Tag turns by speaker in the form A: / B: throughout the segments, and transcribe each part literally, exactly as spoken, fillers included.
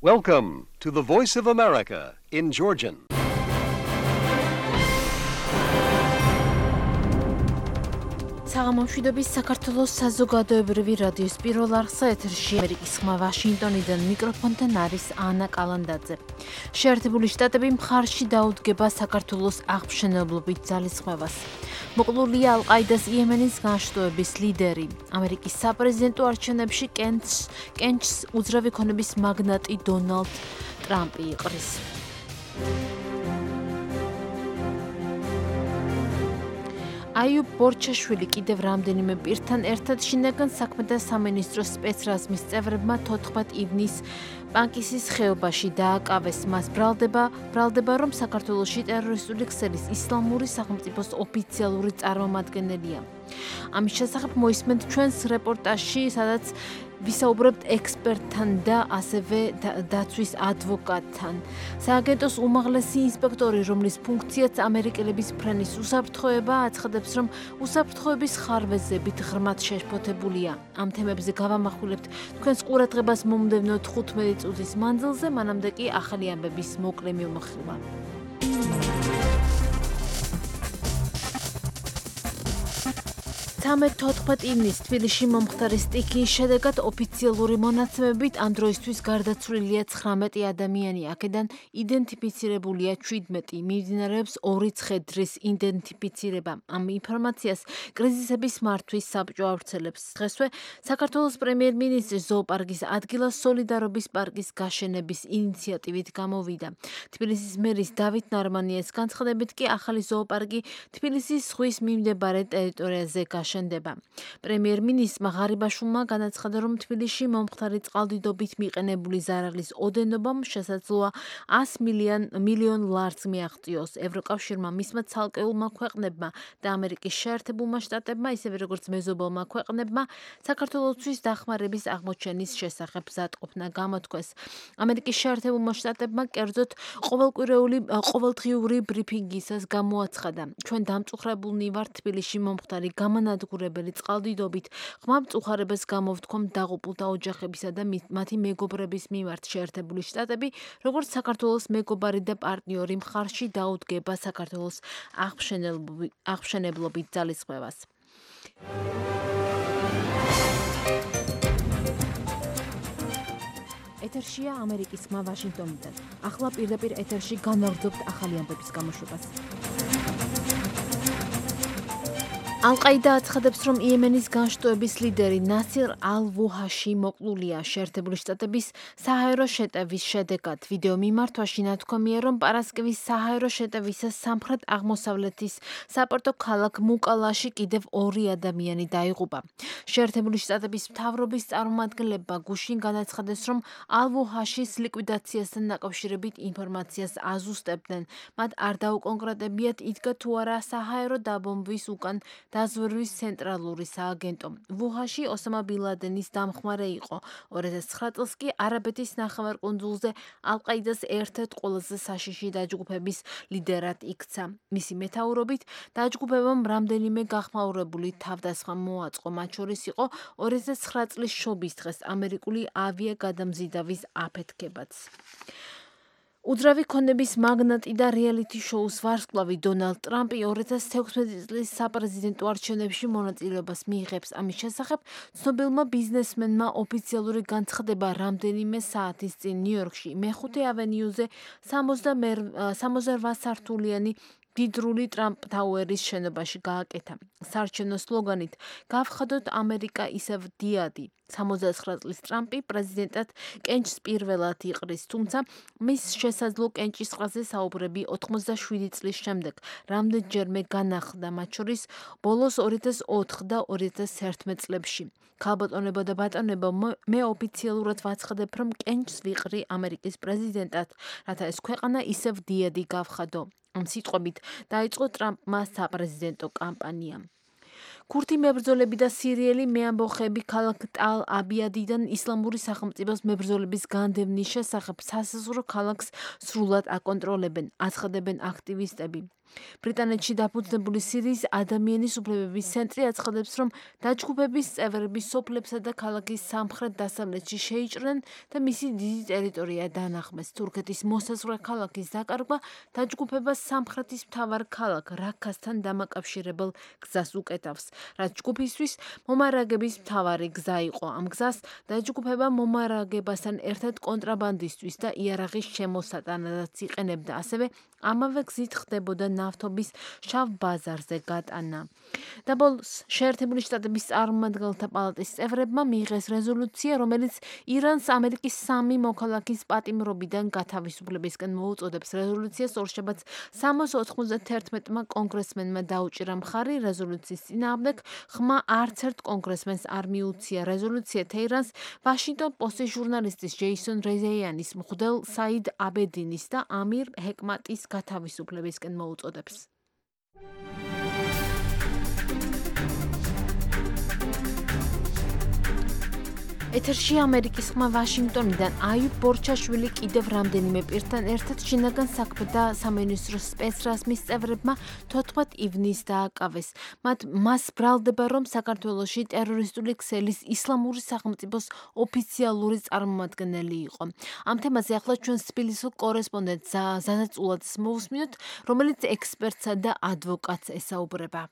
A: Welcome to the Voice of America in Georgian.
B: საღამომშვიდობის საქართველოს საზოგადოებრივი რადიოს პირველ არხსა ეთერში ამერიკის ხმა ვაშინგტონიდან მიკროფონთან არის ანა კალანდაძე. შეერთებული შტატები მხარში დაუდგება საქართველოს აღმშენებლობით ძალისხმევას. მოკლულია ალ-ყაიდას იემენის განშტოების ლიდერი. ამერიკის საპრეზიდენტო არჩევნებში კენჭს უძრავი ქონების მაგნატი დონალდ ტრამპი იყრის. აიუბ ბორჩაშვილი კიდევ რამდენიმე პირთან ერთად შინაგან საქმეთა სამინისტროს სპეცრაზმის წევრებმა თოთხმეტ ივნისს პანკისის ხეობაში დააკავეს. მას ბრალდება, ბრალდება რომ საქართველოში ტერორისტული ქსელის ისლამური სახელმწიფოს ოფიციალური წარმომადგენელია. ამის შესახებ მოისმენთ ჩვენს რეპორტაჟში, სადაც ვისაუბრებთ ექსპერტთან და ასევე დაცვის ადვოკატთან. სააგენტოს უმაღლესი ინსპექტორი, რომლის ფუნქციაც ამერიკელების ფრენის უსაფრთხოება, აცხადებს, რომ უსაფრთხოების ხარვეზებით ღრმად შეშფოთებულია. ამ თემებზე გავამახვილებთ თქვენს ყურადღებას მომდევნო თხუთმეტი წუთის მანძილზე, მანამდე კი ახალი ამბების მოკლე მიმოხილვა. თოთხმეტ ივნისს თბილისში მომხდარი სტიქიის შედეგად ოფიციალური მონაცემებით ამ დროისთვის გარდაცვლილია ცხრამეტი ადამიანი, აქედან იდენტიფიცირებულია შვიდმეტი. მიმდინარეობს ორი ცხედრის იდენტიფიცირება. ამ ინფორმაციას კრიზისების მართვის საბჭო ავრცელებს. დღესვე საქართველოს პრემიერ-მინისტრის ზოოპარკის ადგილას სოლიდარობის პარკის გაშენების ინიციატივით გამოვიდა. თბილისის მერის დავით ნარმანიას განცხადებით კი ახალი ზოოპარკი თბილისის ზღვის მიმდებარე ტერიტორიაზე გაშენდება. პრემიერ-მინისტრმა ღარიბაშვილმა განაცხადა, რომ თბილისში მომხდარი წყალდიდობით მიყენებული ზარალის ოდენობამ შესაძლოა ას მილიონ ლარს მიაღწიოს. ევროკავშირმა, მისმა ცალკეულმა ქვეყნებმა და ამერიკის შეერთებულმა შტატებმა, ისევე როგორც მეზობელმა ქვეყნებმა, საქართველოსთვის დახმარების აღმოჩენის შესახებ მზადყოფნა გამოთქვეს. ამერიკის შეერთებულმა შტატებმა კერძოდ ყოველდღიური ბრიფინგისას გამოაცხადა, ჩვენ დამწუხრებულნი ვართ თბილისში მომხდარი გამანადგურებელი წყალდიდობით, ღრმა მწუხარებას გამოვთქვამთ დაღუპულთა ოჯახებისა და მათი მეგობრების მიმართ. შეერთებული შტატები, როგორც საქართველოს მეგობარი და პარტნიორი, მხარში დაუდგება საქართველოს აღმშენებლობით ძალისხმევას. ეთერშია ამერიკის ხმა ვაშინგტონიდან. ახლა პირდაპირ ეთერში განვაგრძობთ ახალი ამბების გამოშვებას. ალ-ყაიდა აცხადებს, რომ იემენის განშტოების ლიდერი ნასირ ალ-ვუჰაში მოკლულია. შეერთებული შტატების საჰაერო შეტევის შედეგად ვიდეო მიმართვაში ნათქვამია, რომ პარასკევის საჰაერო შეტევისას სამხრეთ აღმოსავლეთის საპორტო ქალაქ მუკალაში კიდევ ორი ადამიანი დაიღუპა. შეერთებული შტატების მთავრობის წარმომადგენლებმა გუშინ განაცხადეს, რომ ალ-ვუჰაშის ლიკვიდაციასთან დაკავშირებით ინფორმაციას აზუსტებდნენ. მათ არ დაუკონკრეტებიათ, იდგა თუ არა საჰაერო დაბომბვის უკან დაზვერვის ცენტრალური სააგენტო. ვუჰაში ოსამა ბინ ლადენის დამხმარე იყო. ორი ათას ცხრა წელს კი არაბეთის ნახევარკუნძულზე ალ-ყაიდას ერთ-ერთ ყველაზე საშიში დაჯგუფების ლიდერად იქცა. მისი მეთაურობით დაჯგუფებამ რამდენიმე გახმაურებული თავდასხმა მოაწყო. მათ შორის იყო ორი ათას ცხრა წლის შობის დღეს ამერიკული ავიაგადამზიდავის აფეთქებაც. უძრავი ქონების მაგნატი და რეალიტი შოუს ვარსკვლავი დონალდ ტრამპი ორი ათას თექვსმეტი წლის საპრეზიდენტო არჩევნებში მონაწილეობას მიიღებს. ამის შესახებ ცნობილმა ბიზნესმენმა ოფიციალური განცხადება რამდენიმე საათის წინ ნიუ-იორკში მეხუთე ავენიუზე სამოცდაოთხ სართულიანი დიდრული ტრამპ ტაუერის შენობაში გააკეთა. საარჩევნო სლოგანით „გავხადოთ ამერიკა ისევ დიადი“. სამოცდაცხრა წლის ტრამპი პრეზიდენტად კენჭს პირველად იყრის, თუმცა მის შესაძლო კენჭისყრაზე საუბრები ოცდაშვიდი წლის შემდეგ რამდენჯერმე განახლდა, მათ შორის ბოლოს ორი ათას ოთხ და ორი ათას ერთმეტ წლებში. ქალბატონებო და ბატონებო, მე ოფიციალურად ვაცხადებ, რომ კენჭს ვიყრი ამერიკის პრეზიდენტად, რათა ეს ქვეყანა ისევ დიადი გავხადო. ამ სიტყვებით დაიწყო ტრამპმა საპრეზიდენტო კამპანია. ქურთი მებრძოლები და სირიელი მეამბოხები ქალაქ ტალ-აბიადიდან ისლამური სახელმწიფოს მებრძოლების განდევნის შესახებ სასაზღვრო ქალაქს სრულად აკონტროლებენ, აცხადებენ აქტივისტები. ბრიტანეთში დაფუძნებული სირიის ადამიანის უფლებების ცენტრი აცხადებს, რომ დაჯგუფების წევრები სოფლებსა და ქალაქის სამხრეთ-დასავლეთში შეიჭრნენ და მისი დიდი ტერიტორია დაანახმეს. თურქეთის მოსაზღვრე ქალაქის დაკარგვა დაჯგუფებას სამხრეთის მთავარ ქალაქ რაქასთან დამაკავშირებელ გზას უკეთავს, რაც ჯგუფისთვის მომარაგების მთავარი გზა იყო. ამ გზას დაჯგუფება მომარაგებასთან ერთად კონტრაბანდისტვის და იარაღის შემოსატანადაც იყენებდა. ასევე ამავე გზით ხდებოდა ნავთობის შავ ბაზარზე გატანა. დაბოლოს შეერთებული შტატების წარმომადგენელთა პალატის წევრებმა მიიღეს რეზოლუცია, რომელიც ირანს ამერიკის სამი მოქალაქის პატიმრობიდან გათავისუფლებისკენ მოუწოდებს. რეზოლუციას ორშაბათს სამას ოთხმოცდათერთმეტმა კონგრესმენმა დაუჭირა მხარი. რეზოლუციის წინააღმდეგ ხმა არც ერთ კონგრესმენს არ მიუცია. რეზოლუცია თეირანს ვაშინგტონ პოსტის ჟურნალისტის ჯეისონ რეზეიანის, მღვდელ საიდ აბედინის და ამირ ჰეკმატის გათავისუფლებისკენ მოუწოდებს. ეთერში ამერიკის ხმა ვაშინგტონიდან აიუბ ბორჩაშვილი კიდევ რამდენიმე პირთან ერთად შინაგან საქმეთა სამინისტროს სპეცრაზმის წევრებმა თოთხმეტ ივნისს დააკავეს. მათ მას ბრალდება, რომ საქართველოში ტერორისტული ქსელის ისლამური სახელმწიფოს ოფიციალური წარმომადგენელი იყო. ამ თემაზე ახლა ჩვენს თბილისის კორესპონდენტ ზანა წულაძეს მოვუსმინოთ, რომელიც ექსპერტსა და ადვოკატს ესაუბრება.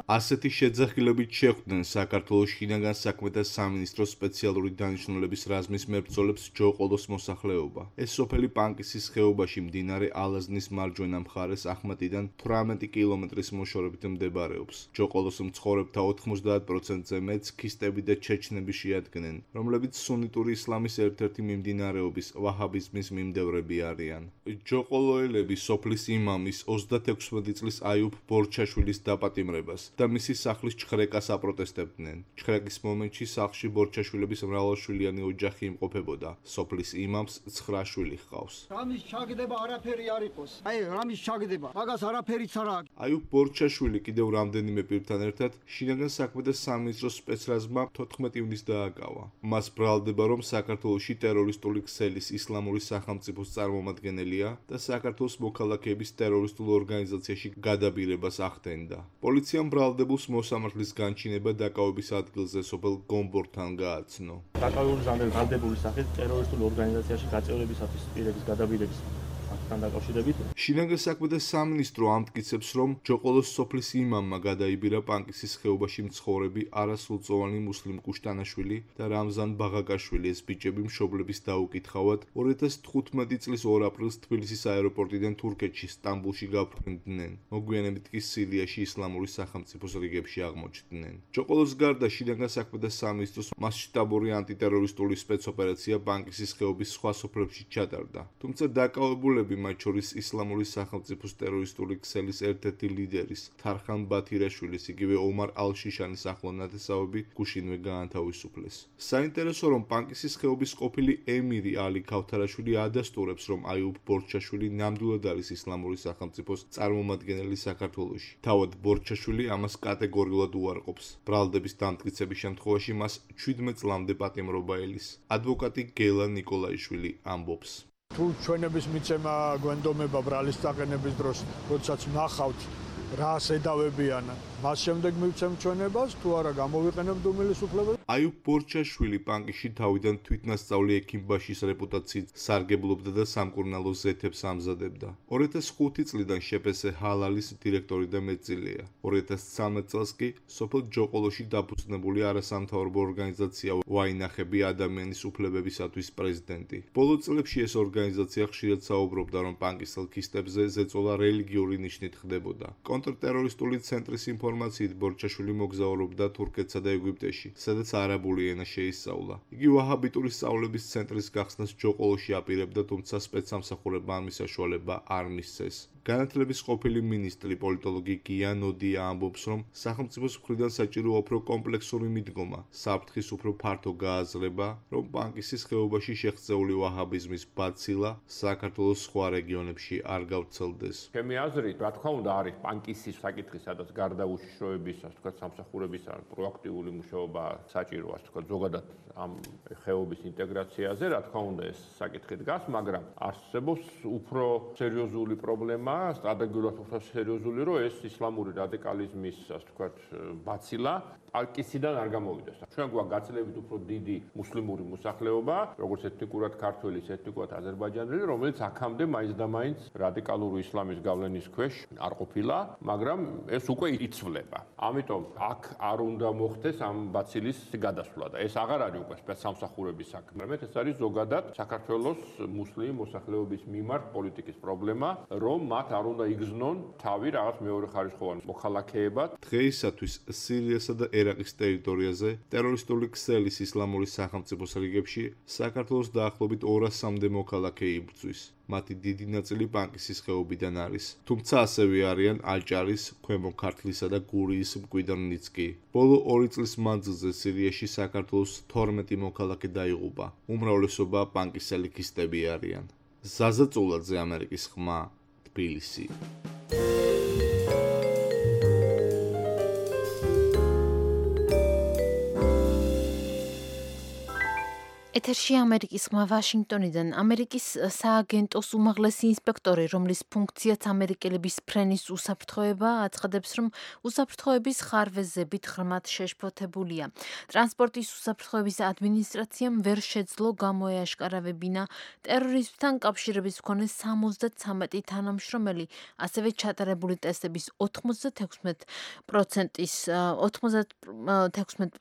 C: ასეთი შეძახილებით შეხვდნენ საქართველოს შინაგან საქმეთა სამინისტროს სპეციალური დანიშნულების რაზმის მებრძოლებს ჯოყოლოს მოსახლეობა. ეს სოფელი პანკისის ხეობაში მდინარე ალაზნის მარჯვენა მხარეს ახმეტიდან თვრამეტი კილომეტრის მოშორებით მდებარეობს. ჯოყოლოს მცხოვრებთა ოთხმოცდაათ პროცენტზე მეც ქისტები და ჩეჩნები შეადგენენ, რომლებიც სუნიტური ისლამის ერთ-ერთი მიმდინარეობის ვაჰაბიზმის მიმდევრები არიან. ჯოყოლოელები სოფლის იმამის ოცდათექვსმეტი წლის აიუბ ბორჩაშვილის დაპატიმრებას და მისი სახლის ჩხრეკას აპროტესტებდნენ. ჩხრეკის მომენტში სახლში ბორჩაშვილების მრავალშვილიანი ოჯახი იმყოფებოდა. სოფლის იმამს ცხრა შვილი ჰყავს.
D: რამის ჩაგდება არაფერი არ იყოს. აი, რამის ჩაგდება, მაგას არაფერიც არ აქვს.
C: აიუბ ბორჩაშვილი კიდევ რამდენიმე პირთან ერთად შინაგან საქმეთა სამინისტროს სპეცრაზმმა თოთხმეტ ივნისს დააკავა. მას ბრალდება, რომ საქართველოში ტერორისტული ქსელის ისლამური სახელმწიფოს წარმომადგენელია და საქართველოს მოქალაქეების ტერორისტულ ორგანიზაციაში გადაბირებას ახდენდა. პოლიციამ ბრალდებულს მოსამართლის განჩინება დაკავების ადგილზე სოფელ გომბორთან გააცნო.
E: დაკავებული ბრალდებულის სახით ტერორისტულ ორგანიზაციაში გაწევრებისათვის პირების გადაბირების ფაქტთან დაკავშირებით
C: შინაგან საქმეთა სამინისტრო ამტკიცებს, რომ ჯოყოლოს სოფლის იმამმა გადაიბირა პანკისის ხეობაში მცხოვრები არასრულწლოვანი მუსლიმ კუშტანაშვილი და რამზან ბაღაკაშვილი. ეს ბიჭები მშობლების დაუკითხავად ორი ათას თხუთმეტი წლის ორ აპრილს თბილისის აეროპორტიდან თურქეთში სტამბულში გაფრინდნენ. მოგვიანებით კი სირიაში ისლამური სახელმწიფოს რიგებში აღმოჩნდნენ. ჯოყოლოს გარდა შინაგან საქმეთა სამინისტროს მასშტაბური ანტიტერორისტული სპეცოპერაცია პანკისის ხეობის სხვა სოფლებში ჩატარდა. თუმცა დაკავებულები, მათ შორის ისლამური სახელმწიფოს ტერორისტული ქსელის ერთ-ერთი ლიდერის თარხან ბათირაშვილის, იგივე ომარ ალ-შიშანის ახლო ნათესავები გუშინვე გაანთავისუფლეს. საინტერესო, რომ პანკისის ხეობის ყოფილი ემირი ალი ქავთარაშვილი ადასტურებს, რომ აიუბ ბორჩაშვილი ნამდვილად არის ისლამური სახელმწიფოს წარმომადგენელი საქართველოში. თავად ბორჩაშვილი ამას კატეგორიულად უარყოფს. ბრალდების დამტკიცების შემთხვევაში მას შვიდმეტ წლამდე პატიმრობა ელის. ადვოკატი გელა ნიკოლაიშვილი ამბობს.
F: თუ ჩვენების მიცემა გვენდომება ბრალის წაყენების დროს, როდესაც ნახავთ რა შედავებიან, მას შემდეგ მივცემ ჩვენებას, თუ არა გამოვიყენებთ უმილისუფლებას.
C: აიუბ ბორჩაშვილი პანკისში თავიდან თვითნასწავლი ექიმბაშის რეპუტაციით სარგებლობდა და სამკურნალო ზეთებს ამზადებდა. ორი ათას ხუთი წლიდან შეპესე ჰალალის დირექტორი და მეტწილია. ორი ათას ცხრამეტ წელს კი სოფელ ჯოყოლოში დაფუძნებული არასამთავრობო ორგანიზაცია ვაინახები ადამიანის უფლებებისათვის პრეზიდენტი. ბოლო წლებში ეს ორგანიზაცია ხშირად საუბრობდა, რომ პანკისელ ქისტებზე ზეწოლა რელიგიური ნიშნით ხდებოდა. კონტრტერორისტული ცენტრის ინფორმაციით ბორჩაშვილი მოგზაურობდა თურქეთსა და ეგვიპტეში, სადაც არაბული ენა შეისწავლა. იგი ვაჰაბიტური სწავლების ცენტრის გახსნას ჯოყოლოში აპირებდა, თუმცა სპეცსამსახურებმა ამის საშუალება არ მისცეს. განათლების ყოფილი მინისტრი პოლიტოლოგი გია ნოდია ამბობს, რომ სახელმწიფოს მხრიდან საჭირო უფრო კომპლექსური მიდგომა, საფრთხის უფრო ფართო გააზრება, რომ პანკისის ხეობაში შეღწეული ვაჰაბიზმის ბაცილა საქართველოს სხვა რეგიონებში არ გავრცელდეს.
G: ჩემი აზრით, რა თქმა უნდა, არის პანკისის საკითხი, სადაც გარდა უშიშროების, ასე ვთქვათ, სამსახურების ან პროაქტიული მუშაობა საჭირო, ასე ვთქვათ, ზოგადად ამ ხეობის ინტეგრაციაზე, რა თქმა უნდა, ეს საკითხი დგას, მაგრამ არსებობს უფრო სერიოზული პრობლემა, სტრატეგიულად უფრო სერიოზული, რომ ეს ისლამური რადიკალიზმის, ასე ვთქვათ, ბაცილა პანკისიდან არ გამოვიდეს. ჩვენ გვაქვს გაცილებით უფრო დიდი მუსლიმური მოსახლეობა, როგორც ეთნიკურად ქართველი, ეთნიკურად აზერბაიჯანელი, რომელიც აქამდე მაინც და მაინც რადიკალური ისლამის გავლენის ქვეშ არ ყოფილა, მაგრამ ეს უკვე იცვლება. ამიტომ აქ არ უნდა მოხდეს ამ ბაცილის გადასვლა და ეს აღარ არის უკვე სპეცსამსახურების საქმე, მაგრამ ეს არის ზოგადად საქართველოს მუსლიმ მოსახლეობის მიმართ პოლიტიკის პრობლემა, რომ მათ არ უნდა იგრძნონ თავი რაღაც მეორეხარისხოვან მოქალაქეებად.
C: დღეისათვის სირიასა და ერაყის ტერიტორიაზე ტერორისტული ქსელის ისლამური სახელმწიფოს რიგებში საქართველოს დაახლოებით ორასამდე მოქალაქე იბრძვის. მათი დიდი ნაწილი პანკისის ხეობიდან არის, თუმცა ასევე არიან აჭარის, ქვემო ქართლისა და გურიის მკვიდრნიც კი. ბოლო ორი წლის მანძილზე სირიაში საქართველოს თორმეტი მოქალაქე დაიღუპა. უმრავლესობა პანკისელიქისტები არიან. ზაზა წულაძე, ამერიკის ხმა, თბილისი.
B: ეთერში ამერიკის ხმა ვაშინგტონიდან. ამერიკის სააგენტოს უმაღლესი ინსპექტორი, რომლის ფუნქციაც ამერიკელების ფრენის უსაფრთხოება, აცხადებს, რომ უსაფრთხოების ხარვეზებით ღრმად შეშფოთებულია. ტრანსპორტის უსაფრთხოების ადმინისტრაციამ ვერ შეძლო გამოეაშკარავებინა ტერორიზმთან კავშირების მქონე სამოცდათრამეტი თანამშრომელი, ასევე ჩატარებული ტესტების ოთხმოცდათექვსმეტ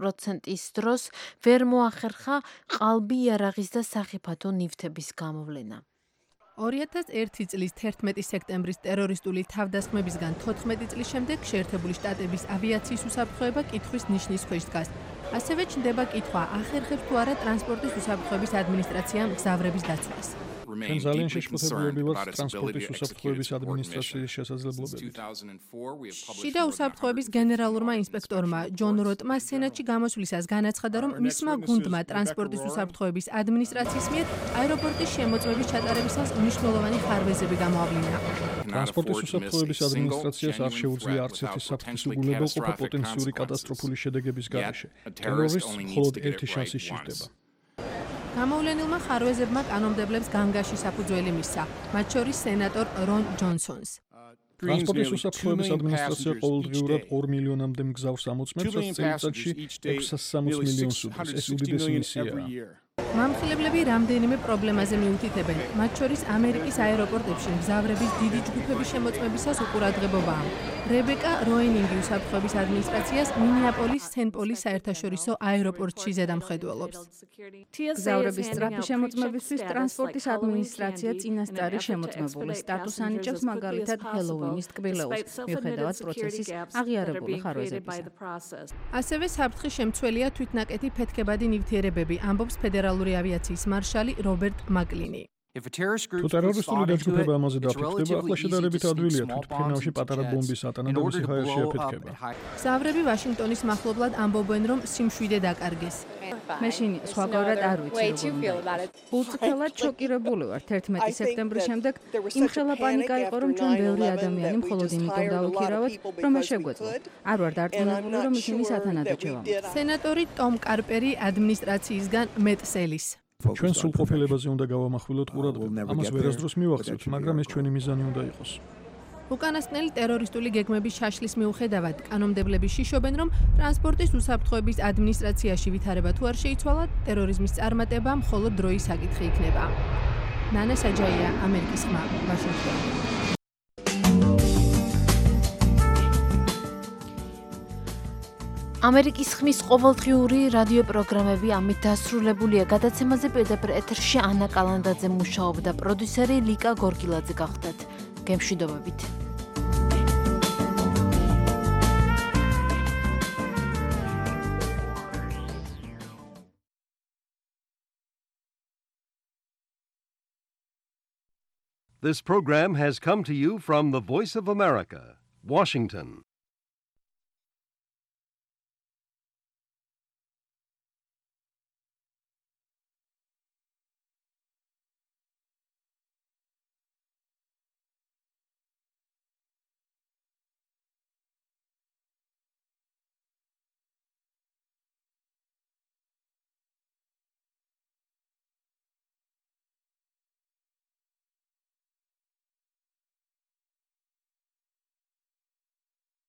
B: პროცენტის დროს ვერ მოახერხა ყალბი იარაღის და სახიფათო ნივთების გამოვლენა.
H: ორი ათას ერთი წლის თერთმეტი სექტემბრის ტერორისტული თავდასხმებისგან თოთხმეტი წლის შემდეგ შეერთებული შტატების ავიაციის უსაფრთხოება კითხვის ნიშნის ქვეშ დგას. ასევე ჩნდება კითხვა, ახერხებს თუ არა ტრანსპორტის უსაფრთხოების ადმინისტრაციამ მგზავრების დაცვას.
F: ჩვენ ძალიან შეშფოთებულები ვართ ტრანსპორტის უსაფრთხოების ადმინისტრაციის შესაძლებლობებით.
H: შიდა უსაფრთხოების გენერალურმა ინსპექტორმა ჯონ როტმა სენატში გამოსვლისას განაცხადა, რომ მისმა გუნდმა ტრანსპორტის უსაფრთხოების ადმინისტრაციის მიერ აეროპორტის შემოწმების ჩატარებისას მნიშვნელოვანი ხარვეზები გამოავლინა.
F: ტრანსპორტის უსაფრთხოების ადმინისტრაციას არ შეუძლია არც ერთი საფრთხის უგულებელყოფა პოტენციური კატასტროფული შედეგების გარეშე. ტერორისტს მხოლოდ ერთი შანსი სჭირდება.
H: გამოვლენილმა ხარვეზებმა კანონმდებლებს განგაში საფუძველი მისცა, მათ შორის სენატორ რონ ჯონსონს.
F: ტრანსპორტის უსაფრთხოების ადმინისტრაცია ყოველდღიურად ორ მილიონამდე მგზავრს ამოწმებს, რაც წელიწადში ექვსას სამოცდ მილიონს უდრის. ეს უდიდესი მისიაა.
H: მამხილებლები რამდენიმე პრობლემაზე მიუთითებენ, მათ შორის ამერიკის აეროპორტებში მგზავრების დიდი ჯგუფების შემოწმებისას უყურადღებობაა. რებეკა როენინგი უსაფრთხოების ადმინისტრაციას მინეაპოლის სენ-პოლის საერთაშორისო აეროპორტში ზედამხედველობს.
I: მგზავრების სწრაფი შემოწმებისთვის ტრანსპორტის ადმინისტრაცია წინასწარი შემოწმებული სტატუსს ანიჭებს, მაგალითად ჰელოვინის ტკბილეულს, მიუხედავად პროცესის აღიარებული ხარვეზებისა.
H: ასევე საფრთხის შემცველია თვითნაკეთი ფეთქებადი ნივთიერებები, ამბობს ფედერალური ავიაციის მარშალი რობერტ მაკლინი.
F: თუ ტერორისტული დაჯგუფება ამაზე დაფიქრდება, ახლა შედარებით ადვილია თვითმფრინავში პატარა ბომბის ატანა და მისი ჰაერში აფეთქება.
H: მგზავრები ვაშინგტონის მახლობლად ამბობენ, რომ სიმშვიდე დაკარგეს.
I: მეშინ სხვაგვარად არ ვიცი როგორ უნდა. უწითელად შოკირებული ვარ თერთმეტი სექტემბრის შემდეგ. იმხელა პანიკა იყო, რომ ჩვენ ბევრი ადამიანი მხოლოდ იმიტომ დავიქირავოთ, რომ ეს შეგვეძლო. არ ვარ დარწმუნებული, რომ ისინი სათანადო ჩევამთ.
H: სენატორი ტომ კარპერი ადმინისტრაციისგან მეტ სელის.
F: ჩვენ სრულყოფილებაზე უნდა გავამახვილოთ ყურადღება. ამას ვერასდროს მივახცევთ, მაგრამ ეს ჩვენი მიზანი უნდა იყოს.
H: უკანასკნელი ტერორისტული გეგმების შაშლის მიუხედავად, კანონმდებლები შიშობენ, რომ ტრანსპორტის უსაფრთხოების ადმინისტრაციაში ვითარება თუ არ შეიცვალა, ტერორიზმის წარმატება მხოლოდ დროის საკითხი იქნება. ნანა საჯაია, ამერიკის ხმა, ვაშინგტონი.
B: ამერიკის ხმის ყოველდღიური რადიო პროგრამები ამით დასრულებულია. გადაცემაზე პირდაპირ ეთერში ანა კალანდაძე მუშაობდა, პროდიუსერი ლიკა გორგილაძე გახდათ. გემშვიდობებით.
A: This program has come to you from the Voice of America, Washington.